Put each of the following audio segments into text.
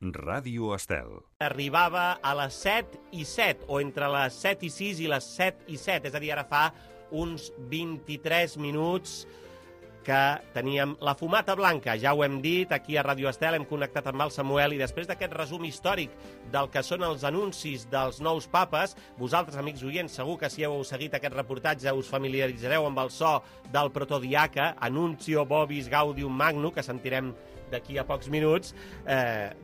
Ràdio Estel. Arribava a les 7:07, o entre les 7:06 i les 7:07, és a dir, ara fa uns 23 minuts que teníem la fumata blanca. Ja ho hem dit, aquí a Ràdio Estel hem connectat amb el Samuel i després d'aquest resum històric del que són els anuncis dels nous papes, vosaltres, amics oients, segur que si heu seguit aquest reportatge us familiaritzareu amb el so del protodiaca, Annuncio Vobis Gaudium Magnum, que sentirem d'aquí a pocs minuts.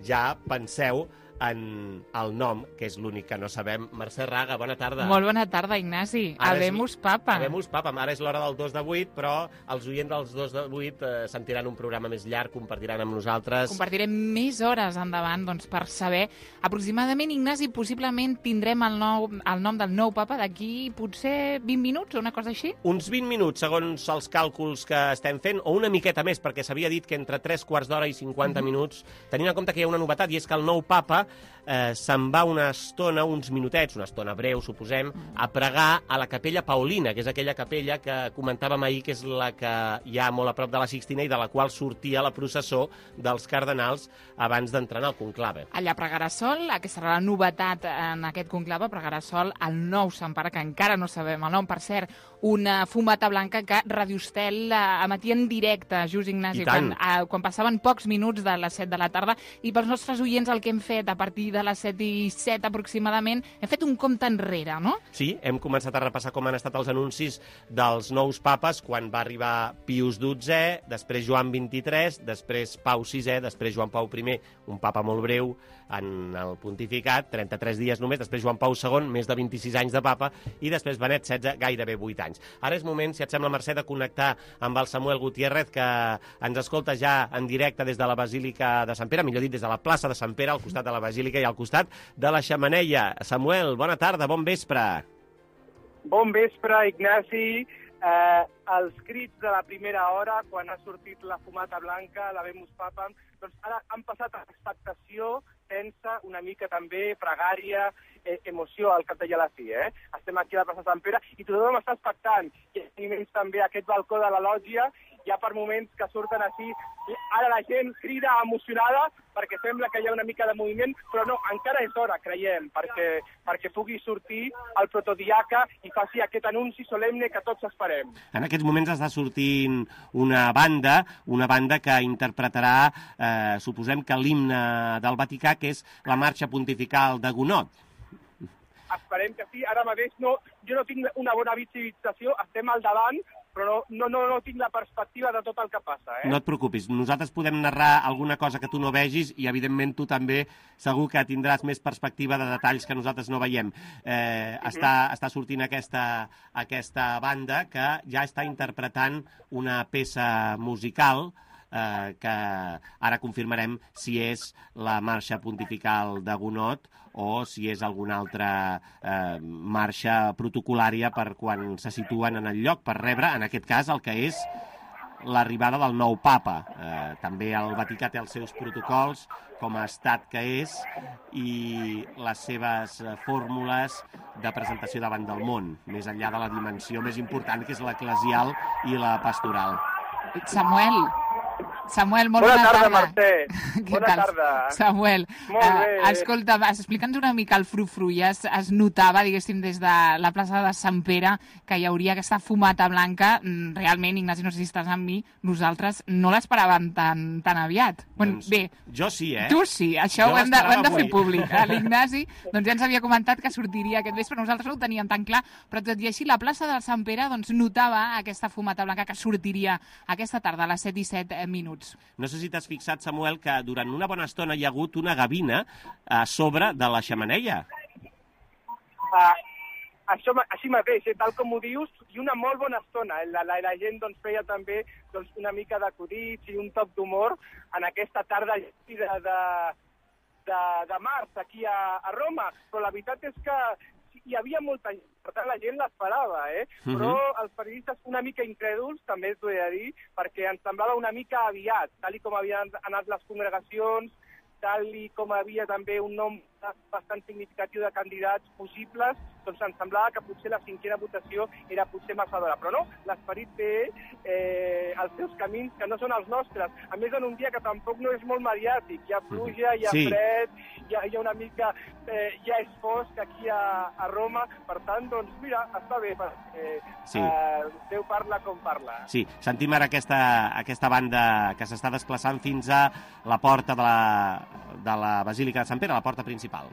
Ja penseu en el nom, que és l'únic que no sabem. Mercè Raga, bona tarda. Molt bona tarda, Ignasi. Habemus Papa. Habemus Papa. Ara és l'hora del 2 de 8, però els oients dels 2 de 8 sentiran un programa més llarg, compartiran amb nosaltres. Compartirem més hores endavant, doncs, per saber. Aproximadament, Ignasi, possiblement tindrem el nom del nou papa d'aquí potser 20 minuts o una cosa així? Uns 20 minuts, segons els càlculs que estem fent, o una miqueta més, perquè s'havia dit que entre 3/4 d'hora i 50 minuts, tenint en compte que hi ha una novetat, i és que el nou papa se'n va una estona, uns minutets, una estona breu, suposem, a pregar a la capella Paulina, que és aquella capella que comentàvem ahir, que és la que hi ha molt a prop de la Sixtina i de la qual sortia la processó dels cardenals abans d'entrar en el conclave. Allà pregarà sol, aquesta serà la novetat en aquest conclave, pregarà sol el nou Sant Pare, que encara no sabem el nom, per cert, una fumata blanca que Ràdio Estel emetia en directe, just, Ignasi, quan passaven pocs minuts de les 7 de la tarda, i pels nostres oients el que hem fet a partir de les 7:07 aproximadament, hem fet un compte enrere, no? Sí, hem començat a repassar com han estat els anuncis dels nous papes, quan va arribar Pius XII, després Joan XXIII, després Pau VI, després Joan Pau I, un papa molt breu en el pontificat, 33 dies només, després Joan Pau II, més de 26 anys de papa, i després Benet XVI, gairebé 8 anys. Ara és moment, si et sembla, Mercè, de connectar amb el Samuel Gutiérrez, que ens escolta ja en directe des de la Basílica de Sant Pere, millor dit, des de la plaça de Sant Pere, al costat de la Basílica i al costat de la Xemeneia. Samuel, bona tarda, bon vespre. Bon vespre, Ignasi. Els crits de la primera hora, quan ha sortit la fumata blanca, l'Habemus Papam, doncs ara han passat a expectació, tensa, una mica també pregària, emoció al cap i a la fi. Estem aquí a la plaça de Sant Pere i tothom està expectant. I també aquest balcó de la lògia, hi ha per moments que surten així, i ara la gent crida emocionada perquè sembla que hi ha una mica de moviment, però no, encara és hora, creiem, perquè pugui sortir el protodiaca i faci aquest anunci solemne que tots esperem. En aquests moments està sortint una banda que interpretarà, suposem que l'himne del Vaticà, que és la marxa pontifical de Gonot. Esperem que sí. Ara mateix jo no tinc una bona visibilització, estem al davant, però no tinc la perspectiva de tot el que passa. No et preocupis, nosaltres podem narrar alguna cosa que tu no vegis i, evidentment, tu també segur que tindràs més perspectiva de detalls que nosaltres no veiem. Està sortint aquesta banda que ja està interpretant una peça musical que ara confirmarem si és la marxa pontifical de Gonot o si és alguna altra marxa protocolària per quan se situen en el lloc, per rebre, en aquest cas, el que és l'arribada del nou papa. També el Vaticà té els seus protocols com a estat que és i les seves fórmules de presentació davant del món, més enllà de la dimensió més important, que és l'eclesial i la pastoral. Samuel, molt bona tarda. Mercè. Bona tarda. Samuel, escolta, explica'ns una mica el frufru. Ja es notava, diguéssim, des de la plaça de Sant Pere que hi hauria aquesta fumata blanca. Realment, Ignasi, no sé si estàs amb mi, nosaltres no l'esperàvem tan aviat. Doncs, bé, jo sí, Tu sí, això ho hem de fer públic. L'Ignasi doncs ja ens havia comentat que sortiria aquest vespre, nosaltres no ho teníem tan clar, però tot i així la plaça de Sant Pere doncs notava aquesta fumata blanca que sortiria aquesta tarda a les 7:07 minuts. No sé si t'has fixat, Samuel, que durant una bona estona hi ha hagut una gavina a sobre de la xemeneia. Així mateix, tal com ho dius, i una molt bona estona. La gent feia també una mica d'acudits i un toc d'humor en aquesta tarda de març aquí a Roma, però la veritat és que hi havia molta gent, per tant la gent l'esperava, però els periodistes una mica incrèduls, també t'ho he de dir, perquè ens semblava una mica aviat, tal com havien anat les congregacions, tal i com havia també un nom bastant significatiu de candidats possibles, doncs ens semblava que potser la cinquena votació era potser massa d'hora. Però no, l'esperit té els seus camins, que no són els nostres. A més, en un dia que tampoc no és molt mediàtic. Hi ha pluja, hi ha fred, hi ha una mica... ja és fosc aquí a Roma. Per tant, doncs, mira, està bé, Déu parla com parla. Sí, sentim ara aquesta banda que s'està desplaçant fins a la porta de la Basílica de Sant Pere, la porta principal.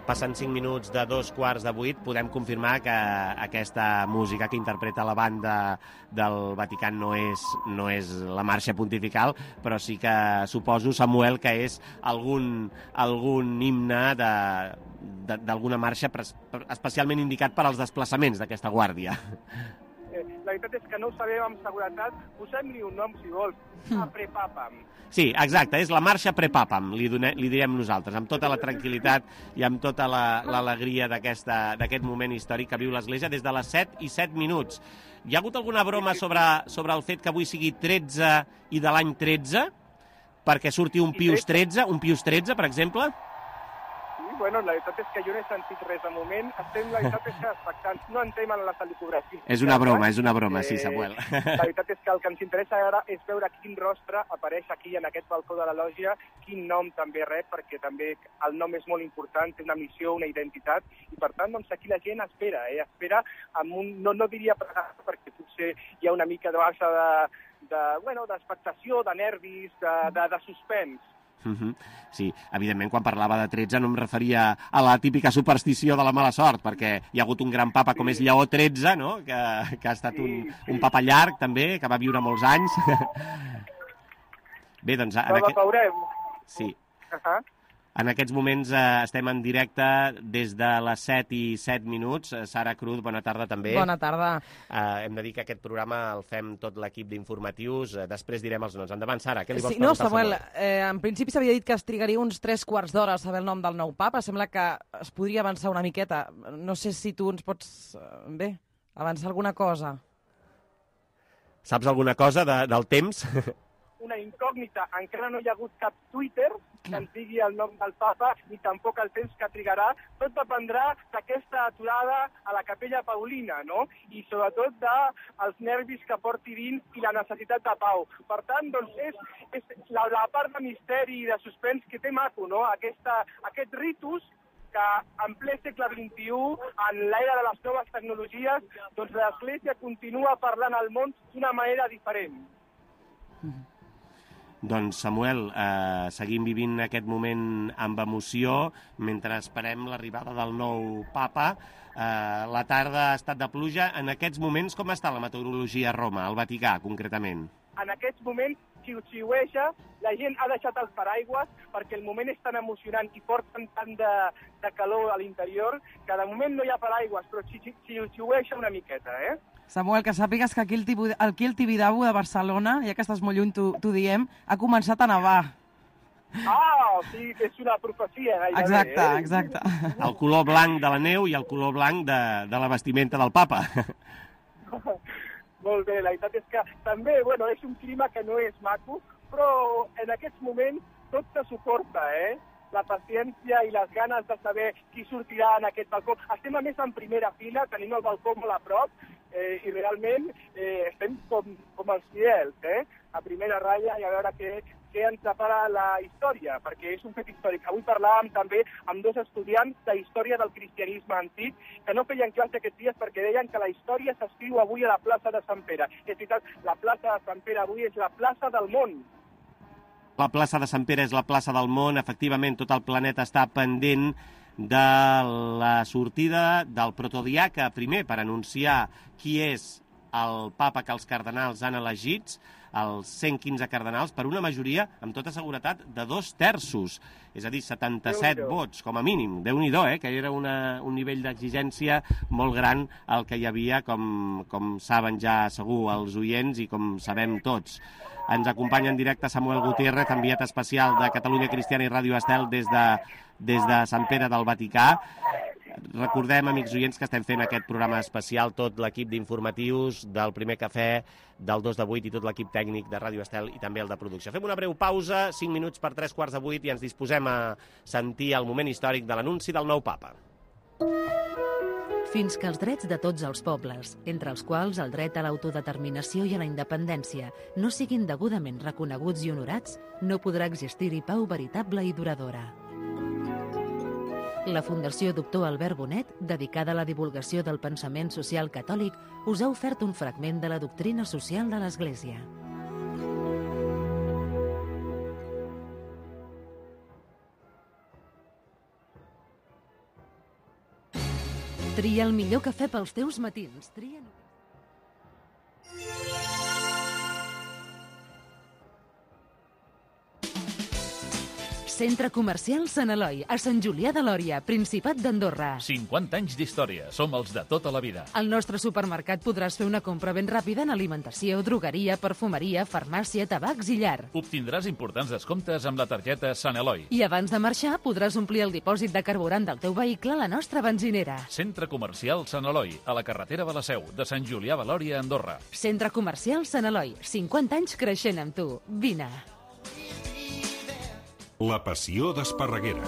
Passen 5 minuts de 7:45, podem confirmar que aquesta música que interpreta la banda del Vaticà no és la marxa pontifical, però sí que suposo, Samuel, que és algun himne d'alguna marxa especialment indicat per als desplaçaments d'aquesta guàrdia. La veritat és que no ho sabem amb seguretat. Posem-li un nom, si vols, a Prepapam. Sí, exacte, és la marxa Prepapam, li direm nosaltres, amb tota la tranquil·litat i amb tota l'alegria d'aquest moment històric que viu l'Església des de les 7:07. Hi ha hagut alguna broma sobre el fet que avui sigui 13 i de l'any 13? Perquè surti un Pius XIII, per exemple? Bueno, la veritat és que jo no he sentit res de moment. Estem, la veritat és que expectants. No entrem en la salicografia. És una broma, sí, Samuel. La veritat és que el que ens interessa ara és veure quin rostre apareix aquí en aquest balcó de la lògia, quin nom també rep, perquè també el nom és molt important, té una missió, una identitat, i per tant, doncs aquí la gent espera amb un, no diria pregar, perquè potser hi ha una mica de baixa d'expectació, de nervis, de suspens. Sí, evidentment, quan parlava de 13 no em referia a la típica superstició de la mala sort, perquè hi ha hagut un gran papa com és Lleó XIII, no? que ha estat un papa llarg, també, que va viure molts anys. Bé, doncs... Sí. En aquests moments estem en directe des de les 7:07. Sara Cruz, bona tarda també. Bona tarda. Hem de dir que aquest programa el fem tot l'equip d'informatius. Després direm els noms. Endavant, Sara, què li vols preguntar? No, Samuel, en principi s'havia dit que es trigaria uns 3/4 d'hora a saber el nom del nou papa. Sembla que es podria avançar una miqueta. No sé si tu ens pots, avançar alguna cosa. Saps alguna cosa del temps? Una incògnita. Encara no hi ha hagut cap Twitter que ens digui el nom del papa, ni tampoc el temps que trigarà. Tot dependrà d'aquesta aturada a la Capella Paulina, no? I sobretot dels nervis que porti dins i la necessitat de pau. Per tant, doncs, és la part de misteri i de suspens que té maco, no? Aquest ritus que en ple segle XXI, en l'era de les noves tecnologies, doncs l'Església continua parlant al món d'una manera diferent. Doncs, Samuel, seguim vivint aquest moment amb emoció mentre esperem l'arribada del nou papa. La tarda ha estat de pluja. En aquests moments, com està la meteorologia a Roma, al Vaticà, concretament? En aquests moments, xiu-xiueja, la gent ha deixat els paraigües perquè el moment és tan emocionant i porten tant de calor a l'interior que de moment no hi ha paraigües, però xiu-xiueja una miqueta, Samuel, que sàpigues que aquí el Tibidabo de Barcelona, ja que estàs molt lluny, t'ho diem, ha començat a nevar. O sigui que és una profecia gairebé. Exacte. El color blanc de la neu i el color blanc de la vestimenta del papa. Molt bé, la veritat és que també, és un clima que no és maco, però en aquests moments tot se suporta, la paciència i les ganes de saber qui sortirà en aquest balcó. Estem, a més, en primera fila, tenim el balcó molt a prop, i realment estem com els fidels, a primera ratlla, i a veure què ens separa la història, perquè és un fet històric. Avui parlàvem també amb 2 estudiants de història del cristianisme antic que no feien classe aquests dies perquè deien que la història s'escriu avui a la plaça de Sant Pere. És veritat, la plaça de Sant Pere avui és la plaça del món. La plaça de Sant Pere és la plaça del món. Efectivament, tot el planeta està pendent de la sortida del protodiaca, primer per anunciar qui és el papa que els cardenals han elegits. els 115 cardenals per una majoria, amb tota seguretat, de 2/3, és a dir, 77 vots, com a mínim. Déu-n'hi-do, que era un nivell d'exigència molt gran el que hi havia, com saben ja segur els oients i com sabem tots. Ens acompanya en directe Samuel Gutiérrez, enviat especial de Catalunya Cristiana i Ràdio Estel des de Sant Pere del Vaticà. Recordem, amics oients, que estem fent aquest programa especial, tot l'equip d'informatius del Primer Cafè, del 2 de 8 i tot l'equip tècnic de Ràdio Estel i també el de producció. Fem una breu pausa, 5 minuts per 7:45 i ens disposem a sentir el moment històric de l'anunci del nou papa. Fins que els drets de tots els pobles, entre els quals el dret a l'autodeterminació i a la independència, no siguin degudament reconeguts i honorats, no podrà existir-hi pau veritable i duradora. La Fundació Doctor Albert Bonet, dedicada a la divulgació del pensament social catòlic, us ha ofert un fragment de la doctrina social de l'Església. Tria el millor cafè pels teus matins. Tria... Centre Comercial Sant Eloi, a Sant Julià de Lòria, Principat d'Andorra. 50 anys d'història, som els de tota la vida. Al nostre supermercat podràs fer una compra ben ràpida en alimentació, drogueria, perfumeria, farmàcia, tabacs i llar. Obtindràs importants descomptes amb la targeta Sant Eloi. I abans de marxar podràs omplir el dipòsit de carburant del teu vehicle a la nostra benzinera. Centre Comercial Sant Eloi, a la carretera de la Seu, de Sant Julià de Lòria, Andorra. Centre Comercial Sant Eloi, 50 anys creixent amb tu. Vine. La passió d'Esparreguera.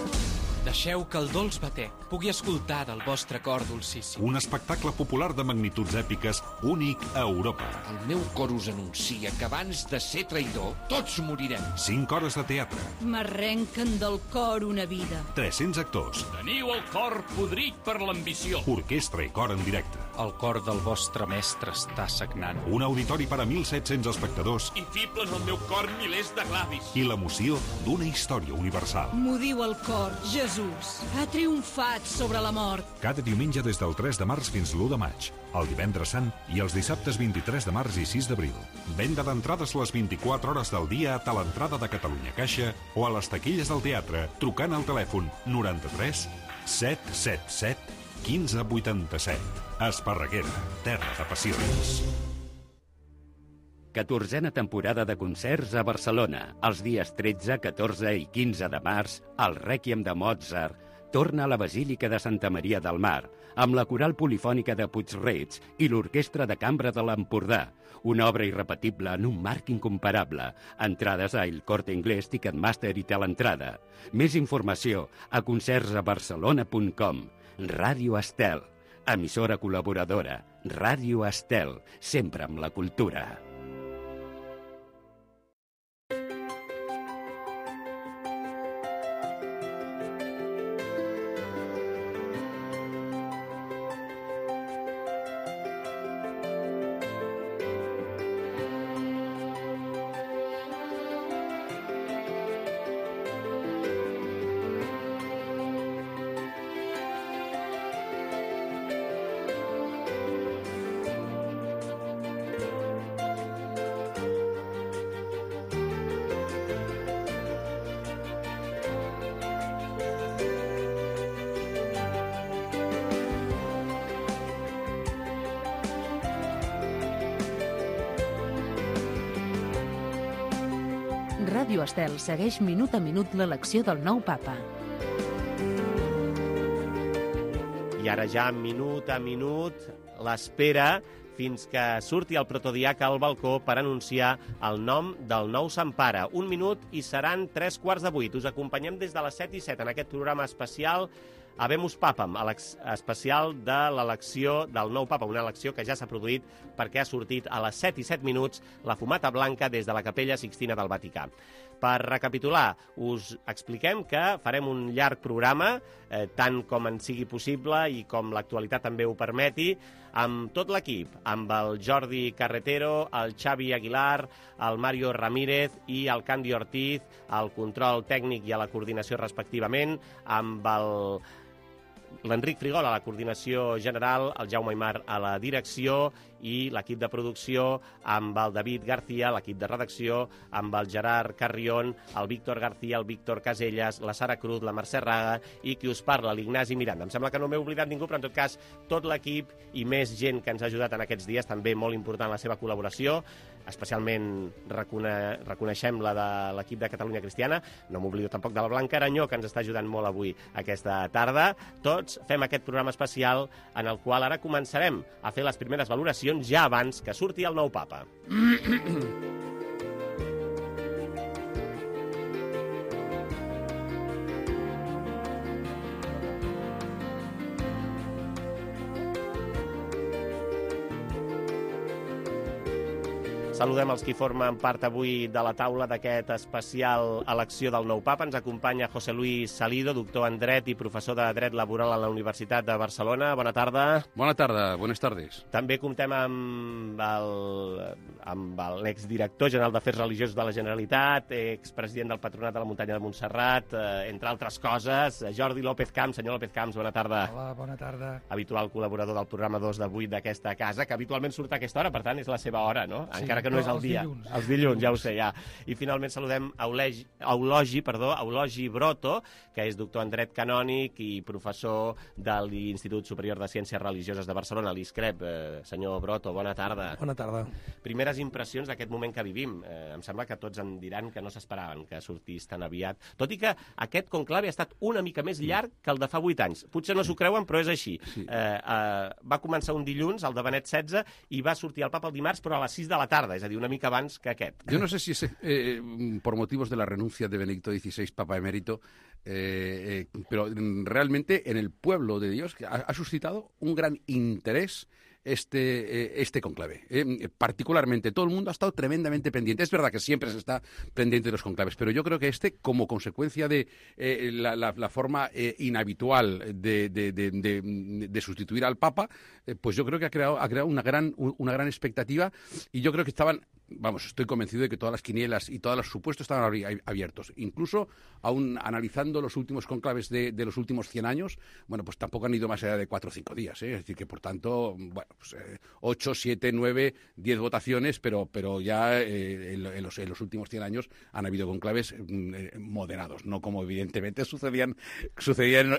Deixeu que el dolç batec pugui escoltar del vostre cor dolcíssim. Un espectacle popular de magnituds èpiques únic a Europa. El meu cor us anuncia que abans de ser traïdor, tots morirem. 5 hores de teatre. M'arrenquen del cor una vida. 300 actors. Teniu el cor podrit per l'ambició. Orquestra i cor en directe. El cor del vostre mestre està sagnant. Un auditori per a 1.700 espectadors. I fiblen al meu cor milers de glavis. I l'emoció d'una història universal. M'ho diu el cor, Jesús. Ha triomfat sobre la mort. Cada diumenge des del 3 de març fins l'1 de maig, el divendres sant i els dissabtes 23 de març i 6 d'abril. Venda d'entrades les 24 hores del dia a l'entrada de Catalunya Caixa o a les taquilles del teatre trucant al telèfon 93 777 1587. Esparreguera, terra de passions. 14a temporada de concerts a Barcelona. Els dies 13, 14 i 15 de març, el Rèquiem de Mozart torna a la Basílica de Santa Maria del Mar, amb la Coral Polifònica de Puig-reig i l'Orquestra de Cambra de l'Empordà. Una obra irrepetible en un marc incomparable. Entrades a El Corte Inglés, Ticketmaster i Teleentrada. Més informació a concertsabarcelona.com. Ràdio Estel, emissora col·laboradora. Ràdio Estel, sempre amb la cultura. Ràdio Estel segueix minut a minut l'elecció del nou papa. I ara ja, minut a minut, l'espera fins que surti el protodiac al balcó per anunciar el nom del nou Sant Pare. 1 minut i seran 7:45. Us acompanyem des de les 7:07 en aquest programa especial Habemus Papam, especial de l'elecció del nou papa, una elecció que ja s'ha produït perquè ha sortit a les 7:07 la fumata blanca des de la Capella Sixtina del Vaticà. Per recapitular, us expliquem que farem un llarg programa, tant com en sigui possible i com l'actualitat també ho permeti, amb tot l'equip, amb el Jordi Carretero, el Xavi Aguilar, el Mario Ramírez i el Candy Ortiz, al control tècnic i a la coordinació respectivament, amb l'Enric Frigol a la coordinació general, el Jaume Aymar a la direcció i l'equip de producció amb el David García, l'equip de redacció, amb el Gerard Carrion, el Víctor García, el Víctor Casellas, la Sara Cruz, la Mercè Raga i qui us parla, l'Ignasi Miranda. Em sembla que no m'he oblidat ningú, però en tot cas tot l'equip i més gent que ens ha ajudat en aquests dies, també molt important la seva col·laboració, especialment reconeixem la de l'equip de Catalunya Cristiana, no m'oblido tampoc de la Blanca Aranyó, que ens està ajudant molt avui aquesta tarda. Tots fem aquest programa especial en el qual ara començarem a fer les primeres valoracions ja abans que surti el nou papa. Saludem els qui formen part avui de la taula d'aquest especial elecció del nou papa. Ens acompanya José Luis Salido, doctor en dret i professor de dret laboral a la Universitat de Barcelona. Bona tarda. Bona tarda, buenas tardes. També comptem amb l'exdirector general d'Afers Religiosos de la Generalitat, expresident del Patronat de la Muntanya de Montserrat, entre altres coses, Jordi López Camps. Senyor López Camps, bona tarda. Hola, bona tarda. Habitual col·laborador del programa 2 de 8 d'aquesta casa, que habitualment surt a aquesta hora, per tant és la seva hora, no? Sí, encara que no és el dia. Els dilluns, ja ho sé, ja. I finalment saludem Eulogi Broto, que és doctor en dret canònic i professor de l'Institut Superior de Ciències Religioses de Barcelona, l'ISCREP. Senyor Broto, bona tarda. Bona tarda. Primeres impressions d'aquest moment que vivim. Em sembla que tots em diran que no s'esperaven que sortís tan aviat. Tot i que aquest conclave ha estat una mica més llarg que el de fa 8 anys. Potser no s'ho creuen, però és així. Sí. Va començar un dilluns, el de Benet XVI, i va sortir el papa el dimarts, però a les 6 de la tarda, és a dir, una mica abans que aquest. Yo no sé si es por motivos de la renuncia de Benedicto XVI, Papa Emérito, pero realmente en el pueblo de Dios ha suscitado un gran interés este conclave. Particularmente, todo el mundo ha estado tremendamente pendiente. Es verdad que siempre se está pendiente de los conclaves, pero yo creo que como consecuencia de la forma inhabitual de sustituir al Papa, pues yo creo que ha creado una gran expectativa, y yo creo que estoy convencido de que todas las quinielas y todos los supuestos estaban abiertos. Incluso, aún analizando los últimos conclaves de los últimos 100 años, bueno, pues tampoco han ido más allá de 4 o 5 días. Es decir, que por tanto, bueno, pues 8, 7, 9, 10 votaciones, pero ya en los últimos 100 años han habido conclaves moderados, no como evidentemente sucedían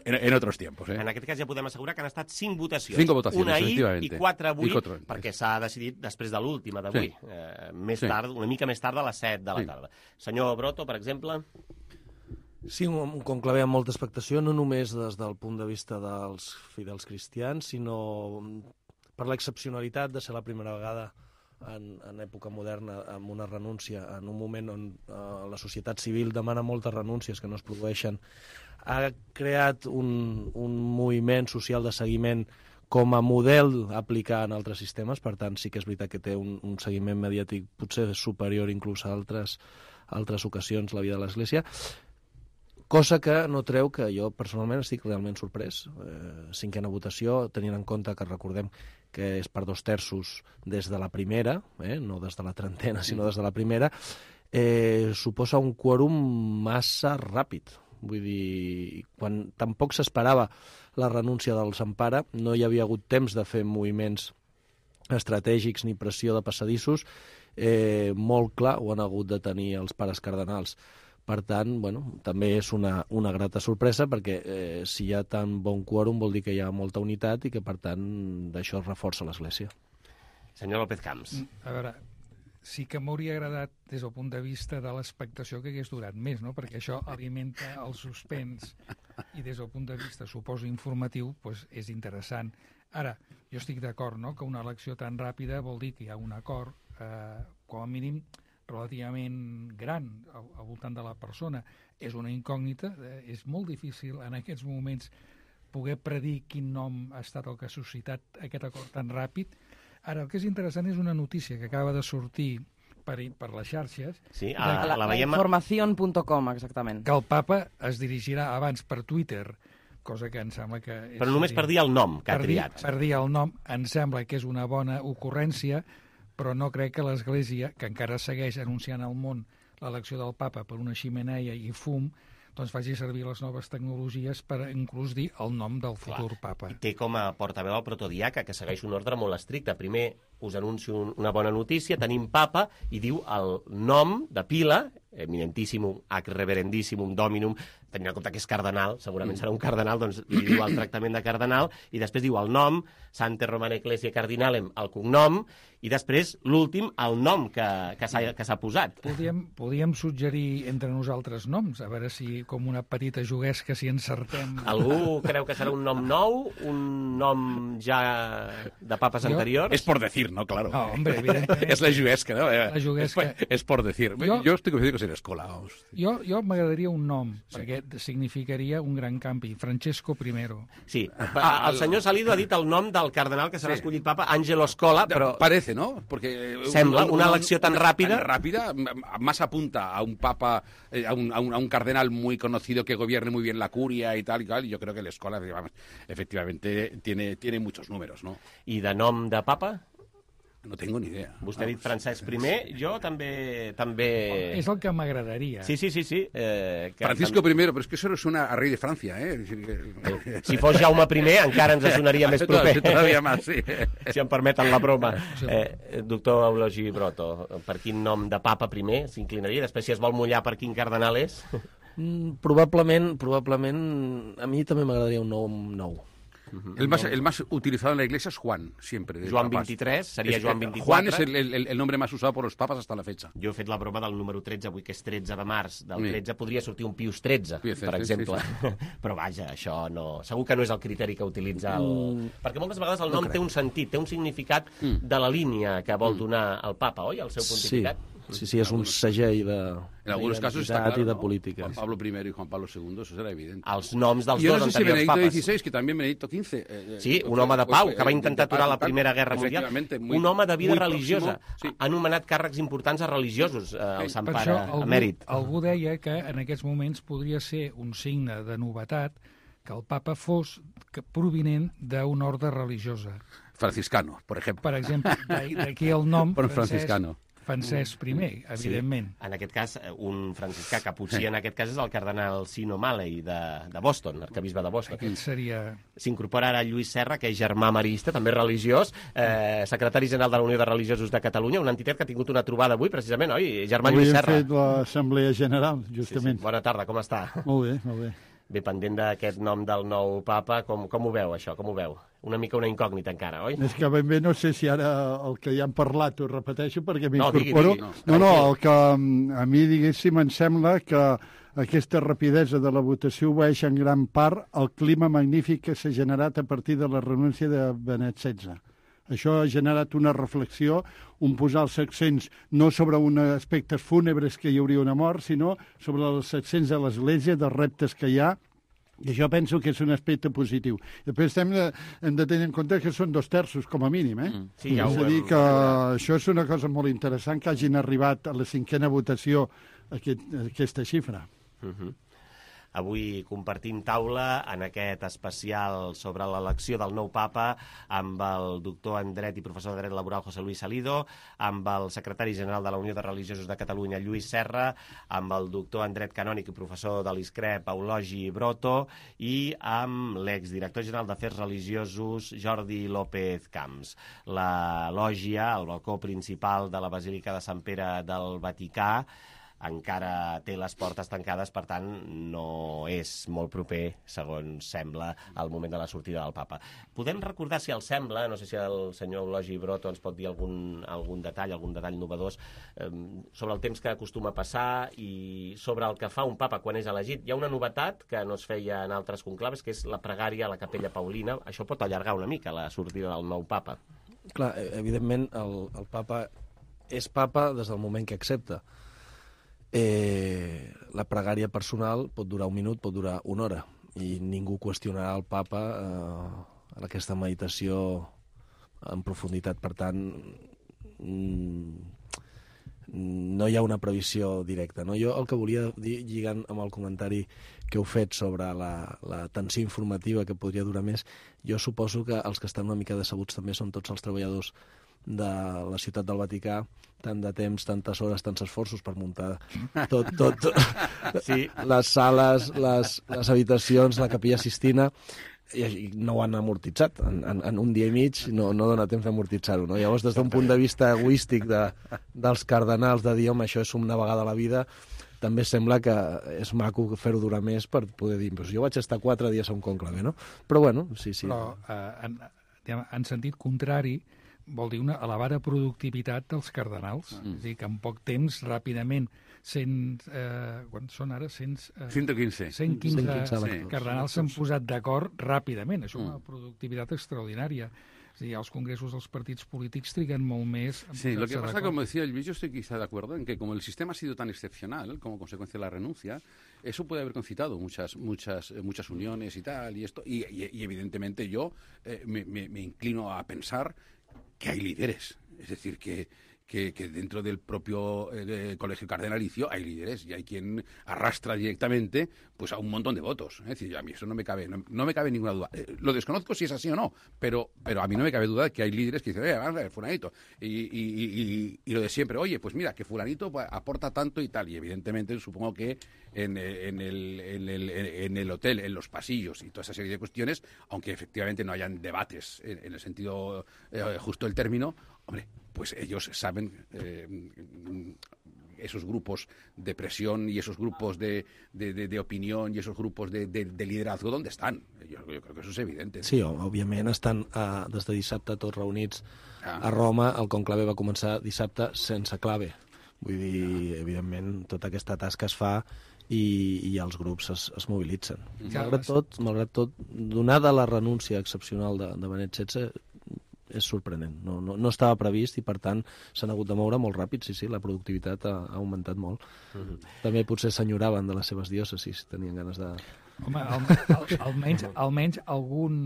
en otros tiempos. En aquest cas ja podem assegurar que han estat 5 votacions. 5 votacions, una ahir efectivament. I 4 avui, perquè s'ha decidit després de l'última d'avui. Sí. Tard, una mica més tard, a les 7 de la tarda. Senyor Broto, per exemple? Sí, un conclave amb molta expectació, no només des del punt de vista dels fidels cristians, sinó per l'excepcionalitat de ser la primera vegada en època moderna amb una renúncia, en un moment on la societat civil demana moltes renúncies que no es produeixen. Ha creat un moviment social de seguiment com a model a aplicar en altres sistemes, per tant sí que és veritat que té un seguiment mediàtic potser superior inclús a altres ocasions la vida de l'Església, cosa que no treu que jo personalment estic realment sorprès. 5a votació, tenint en compte que recordem que és per 2/3 des de la primera, no des de la 30ena, sinó des de la primera, suposa un quòrum massa ràpid. Vull dir, quan tampoc s'esperava la renúncia del Sempare, no hi havia hagut temps de fer moviments estratègics ni pressió de passadissos, molt clar ho han hagut de tenir els pares cardenals. Per tant, bueno, també és una grata sorpresa, perquè si hi ha tan bon quòrum vol dir que hi ha molta unitat i que, per tant, d'això es reforça l'Església. Senyor López Camps. A veure, sí que m'hauria agradat des del punt de vista de l'expectació que hagués durat més, no? Perquè això alimenta el suspens i des del punt de vista, suposo, informatiu, doncs és interessant. Ara, jo estic d'acord, no?, que una elecció tan ràpida vol dir que hi ha un acord, com a mínim, relativament gran al voltant de la persona. És una incògnita, és molt difícil en aquests moments poder predir quin nom ha estat el que ha suscitat aquest acord tan ràpid. Ara, el que és interessant és una notícia que acaba de sortir per les xarxes. Sí, la veiem... Información.com, exactament. Que el papa es dirigirà abans per Twitter, cosa que em sembla que... Però només per dir el nom que ha triat. Per dir el nom, em sembla que és una bona ocurrència, però no crec que l'Església, que encara segueix anunciant al món l'elecció del papa per una ximeneia i fum, doncs faci servir les noves tecnologies per inclús dir el nom del futur papa. I té com a portaveu el protodiaca, que segueix un ordre molt estricte. Primer us anuncio una bona notícia, tenim papa, i diu el nom de pila, eminentissimum, ac reverendissimum dominum, tenint en compte que és cardenal, segurament serà un cardenal, doncs li diu el tractament de cardenal, i després diu el nom, Sante Romana Ecclesia Cardinalem, el cognom, i després, l'últim, el nom que s'ha posat. Podíem suggerir entre nosaltres noms, a veure si, com una petita juguesca, si encertem... Algú creu que serà un nom nou? Un nom ja de papes anteriors? Es por decir, ¿no? Claro. No, hombre, evidentemente. Es la juguesca, ¿no? La juguesca. Es por decir. Yo estoy convencido que será escolaos. Jo m'agradaria un nom, perquè significaria un gran canvi. Francesco I. Sí. El senyor Salido ha dit el nom del cardenal que serà escollit papa, Angelo Scola, però... Parece, ¿no? Porque sembla una elecció tan ràpida. Tan rápida, más apunta a un papa, a un cardenal muy conocido que gobierne muy bien la curia y tal, y yo creo que el Scola, efectivamente, tiene muchos números, ¿no? I de nom de papa? No tengo ni idea. Vostè ha dit Francesc I, jo també... És el que m'agradaria. Sí. Francisco I, però és que això suena a rei de Francia, eh? Si fos Jaume I, encara ens sonaria més proper. Todavía más, sí. Si em permeten la broma. Doctor Eulogi Broto, per quin nom de papa primer s'inclinaria? Després, si es vol mullar, per quin cardenal és? Probablement, a mi també m'agradaria un nom nou. El más utilizado en la iglesia es Juan, siempre. Juan 23, seria Joan 24. Juan es el nombre más usado por los papas hasta la fecha. Jo he fet la broma del número 13, avui que és 13 de març. Del 13 podria sortir un Pius 13, per exemple. Sí. Però vaja, això no... Segur que no és el criteri que utilitza el... Perquè moltes vegades el nom té un sentit, té un significat de la línia que vol donar el papa, oi? El seu pontificat. Sí, és un segell de... En algunos casos está claro, y de política. Juan Pablo I y Juan Pablo II, eso será evidente. Els noms dels dos anteriors papas. I no sé si Benedicto XVI, que també Benedicto XV. Sí, un home de pau, que va intentar aturar la Primera Guerra Mundial. Un home de vida religiosa. Ha anomenat càrrecs importants a religiosos, el Sant Pare emèrit. Algú deia que en aquests moments podria ser un signe de novetat que el papa fos provinent d'una ordre religiosa. Franciscano, por ejemplo. Per exemple, d'aquí el nom franciscano. Francesc I, evidentment. Sí, en aquest cas, un franciscà caputxí, en aquest cas és el cardenal Sino Malley de Boston, arquebisbe de Boston. Aquest seria... S'incorpora ara Lluís Serra, que és germà marista, també religiós, secretari general de la Unió de Religiosos de Catalunya, una entitat que ha tingut una trobada avui, precisament, oi? Germà Lluís Serra. Avui hem fet l'Assemblea General, justament. Sí. Bona tarda, com està? Molt bé, molt bé. Bé, pendent d'aquest nom del nou papa, com ho veu, això? Com ho veu? Una mica una incògnita encara, oi? És que ben bé no sé si ara el que ja hem parlat ho repeteixo perquè m'incorporo. No, el que a mi, diguéssim, em sembla que aquesta rapidesa de la votació obeeix en gran part al clima magnífic que s'ha generat a partir de la renúncia de Benet XVI. Això ha generat una reflexió, un posar els accents no sobre uns aspectes fúnebres que hi hauria una mort, sinó sobre els accents de l'Església, dels reptes que hi ha, i això penso que és un aspecte positiu. Després hem de tenir en compte que són 2/3, com a mínim, eh? Sí, ja és a dir, que això és una cosa molt interessant, que hagin arribat a la 5ª votació aquesta xifra. Avui compartim taula en aquest especial sobre l'elecció del nou papa amb el doctor en dret i professor de dret laboral José Luis Salido, amb el secretari general de la Unió de Religiosos de Catalunya Lluís Serra, amb el doctor en dret canònic i professor de l'ISCREP Eulogi Broto i amb l'exdirector general d'Afers Religiosos Jordi López Camps. La lògia, el balcó principal de la Basílica de Sant Pere del Vaticà, encara té les portes tancades, per tant, no és molt proper, segons sembla, al moment de la sortida del papa. Podem recordar, si els sembla, no sé si el senyor Eulogi Broto ens pot dir algun detall novedós, sobre el temps que acostuma a passar i sobre el que fa un papa quan és elegit. Hi ha una novetat que no es feia en altres conclaves, que és la pregària a la Capella Paulina. Això pot allargar una mica la sortida del nou papa. Clar, evidentment, el papa és papa des del moment que accepta. La pregària personal pot durar 1 minut, pot durar 1 hora, i ningú qüestionarà el papa en aquesta meditació en profunditat. Per tant, no hi ha una previsió directa, no? Jo el que volia dir, lligant amb el comentari que heu fet sobre la tensió informativa que podria durar més, jo suposo que els que estan una mica decebuts també són tots els treballadors de la ciutat del Vaticà, tant de temps, tantes hores, tants esforços per muntar tot sí. les sales, les habitacions, la capella Sistina, i no ho han amortitzat. En un dia i mig no dona temps d'amortitzar-ho. No? Llavors, des d'un punt de vista egoístic dels cardenals, de dir, home, això és una vegada a la vida, també sembla que és maco fer-ho durar més per poder dir, doncs jo vaig estar 4 dies a un conclave, no? Però, bueno, sí. Però, en sentit contrari, vol dir una elevada productivitat dels cardenals. És a dir, que en poc temps, ràpidament, quan són ara? 115 cardenals s'han posat d'acord ràpidament. Això és una productivitat extraordinària. Es decir, los congresos de los partidos políticos trigan molt més. Sí, lo que pasa, como decía Luis, yo estoy quizá de acuerdo en que como el sistema ha sido tan excepcional como consecuencia de la renuncia, eso puede haber concitado muchas uniones y tal, y evidentemente yo me inclino a pensar que hay líderes, es decir, que dentro del propio colegio cardenalicio hay líderes y hay quien arrastra directamente pues a un montón de votos. Es decir, a mí eso no me cabe ninguna duda. Lo desconozco si es así o no, pero a mí no me cabe duda de que hay líderes que dicen, vamos a ver, fulanito, y lo de siempre, oye, pues mira, que fulanito pues, aporta tanto y tal, y evidentemente supongo que en el hotel, en los pasillos y toda esa serie de cuestiones, aunque efectivamente no hayan debates en el sentido justo del término, hombre, pues ellos saben esos grupos de presión y esos grupos de opinión y esos grupos de liderazgo, ¿dónde están? Yo creo que eso es evidente. Sí, òbviament estan des de dissabte tots reunits a Roma. El conclave va començar dissabte sense clave. Vull dir, evidentment, tota aquesta tasca es fa i els grups es mobilitzen. Malgrat tot, donada la renúncia excepcional de Benet XVI, és sorprenent. No estava previst i, per tant, s'han hagut de moure molt ràpid. Sí, la productivitat ha augmentat molt. També potser s'enyoraven de les seves diòcesis, tenien ganes de... Home, almenys algun,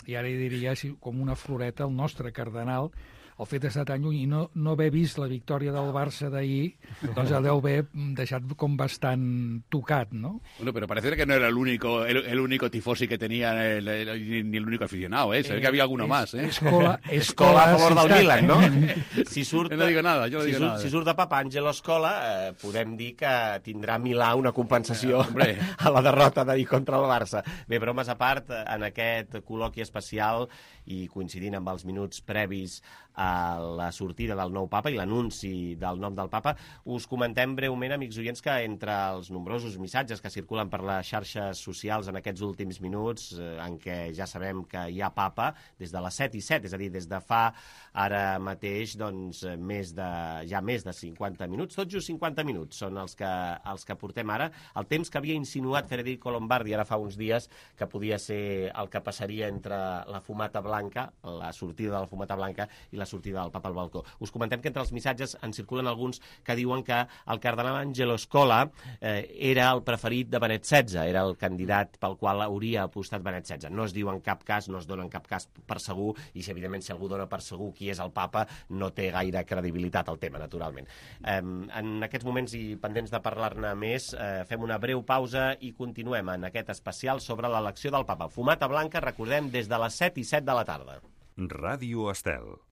i ara hi diria així, com una floreta, el nostre cardenal, el fet d'estar tan lluny i no haver vist la victòria del Barça d'ahir, doncs el deu haver deixat com bastant tocat, ¿no? Bueno, pero parece que no era el único tifosi que tenía, ni el único aficionado, ¿eh? Se ve que había alguno más, ¿eh? Escola a favor del Milan, no? No digo nada, yo no digo nada. Si surt de Papa Àngelo Escola, podem dir que tindrà Milà una compensació a la derrota d'ahir contra el Barça. Bé, bromes a part, en aquest col·loqui especial i coincidint amb els minuts previs a la sortida del nou papa i l'anunci del nom del papa, us comentem breument, amics oients, que entre els nombrosos missatges que circulen per les xarxes socials en aquests últims minuts, en què ja sabem que hi ha papa des de les 7:07, és a dir, des de fa ara mateix doncs, més de 50 minuts, tot just 50 minuts són els que portem ara, el temps que havia insinuat Federico Lombardi ara fa uns dies que podia ser el que passaria entre la fumata blanca, la sortida de la fumata blanca i la sortida del papa al balcó. Us comentem que entre els missatges en circulen alguns que diuen que el cardenal Angelo Scola era el preferit de Benet XVI, era el candidat pel qual hauria apostat Benet XVI. No es diu en cap cas, no es dona en cap cas per segur, i evidentment si algú dona per segur qui és el papa, no té gaire credibilitat el tema, naturalment. En aquests moments i pendents de parlar-ne més, fem una breu pausa i continuem en aquest especial sobre l'elecció del papa. Fumata blanca, recordem, des de les 7:07 de la tarda. Ràdio Estel.